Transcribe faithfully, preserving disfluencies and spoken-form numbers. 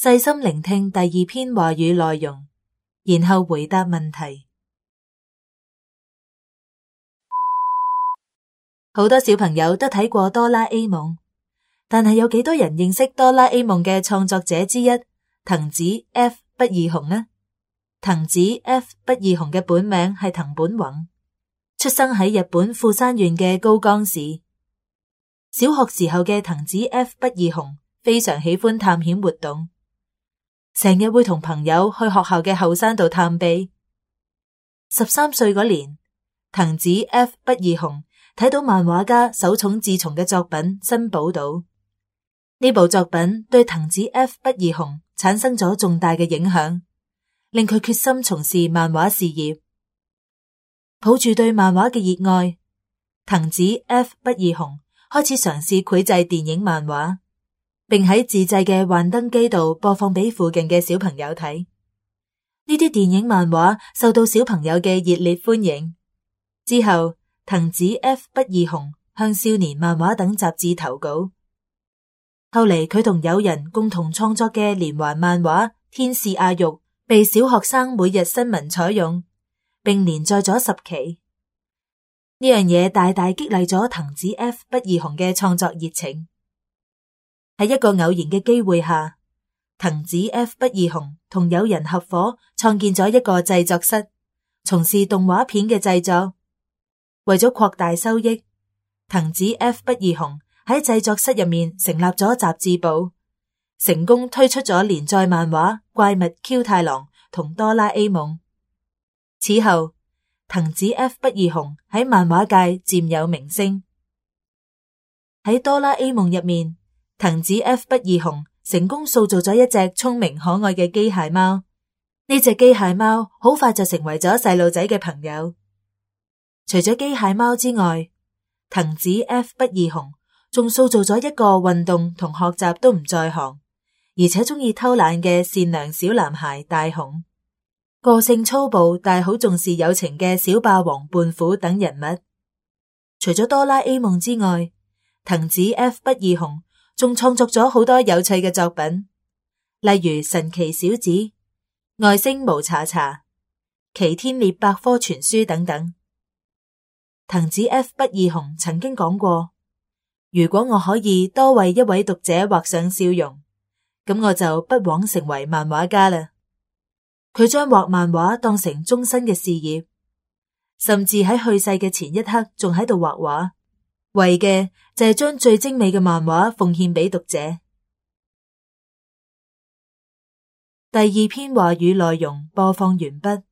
細心聆聽第二篇話語內容，然後回答問題。好多小朋友都睇過哆啦 A 夢，但係有幾多人認識哆啦 A 夢嘅創作者之一藤子 F 不二雄呢？藤子 F 不二雄嘅本名係藤本弘，出生喺日本富山縣嘅高岡市。小學時候嘅藤子 F 不二雄非常喜歡探險活動，成日會同朋友去學校嘅後山度探秘。十三歲嗰年，藤子 F 不二雄睇到漫畫家手冢治蟲嘅作品《珍寶島》，呢部作品對藤子 F 不二雄產生咗重大嘅影響，令佢決心從事漫畫事業。抱住對漫畫嘅熱愛，藤子 F 不二雄開始嘗試繪製電影漫畫，並喺自製嘅幻燈機度播放俾附近嘅小朋友睇。呢啲電影漫畫受到小朋友嘅熱烈歡迎。之後，藤子 F 不二雄向少年漫畫等雜誌投稿。後嚟佢同友人共同創作嘅連環漫畫《天使阿玉》被小學生每日新聞採用，並連載咗十期。呢樣嘢大大激勵咗藤子 F 不二雄嘅創作熱情。喺一個偶然嘅機會下，藤子 F 不二雄同友人合夥創建咗一個製作室，從事動畫片嘅製作。為咗擴大收益，藤子 F 不二雄喺製作室入面成立咗雜誌部，成功推出咗連載漫畫《怪物 Q 太郎》同哆啦 A 夢。此後，藤子 F 不二雄喺漫畫界漸有名聲。喺哆啦 A 夢入面，藤子 F 不二雄成功塑造咗一隻聰明可愛嘅機械貓。呢隻機械貓好快就成為咗細路仔嘅朋友。除咗機械貓之外，藤子 F 不二雄仲塑造咗一個運動同學習都唔在行，而且中意偷懶嘅善良小男孩大雄，個性粗暴但好重視友情嘅小霸王胖虎等人物。除咗哆啦 A 夢之外，藤子 F 不二雄仲創作咗好多有趣嘅作品，例如神奇小子、外星無查查、奇天烈百科全書等等。藤子 F 不二雄曾經講過，如果我可以多為一位讀者畫上笑容，咁我就不枉成為漫畫家啦。佢將畫漫畫當成終身嘅事業，甚至喺去世嘅前一刻仲喺度畫畫，為嘅就係將最精美嘅漫畫奉獻俾讀者。第二篇話語內容播放完畢。